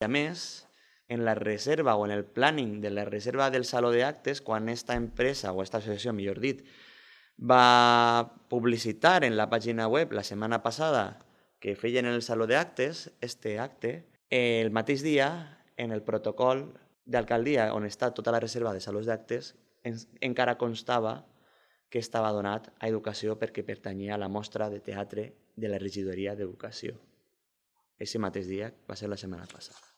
A més, en la reserva o en el planning de la reserva del saló d'actes, quan esta empresa, o esta associació, millor dit, va publicitar en la pàgina web la setmana passada que feien el saló d'actes, este acte, el mateix dia, en el protocol d'alcaldia on està tota la reserva de salons d'actes, encara constava que estava donat a educació perquè pertanyia a la mostra de teatre de la regidoria d'educació. Aquest mateix dia va ser la setmana passada.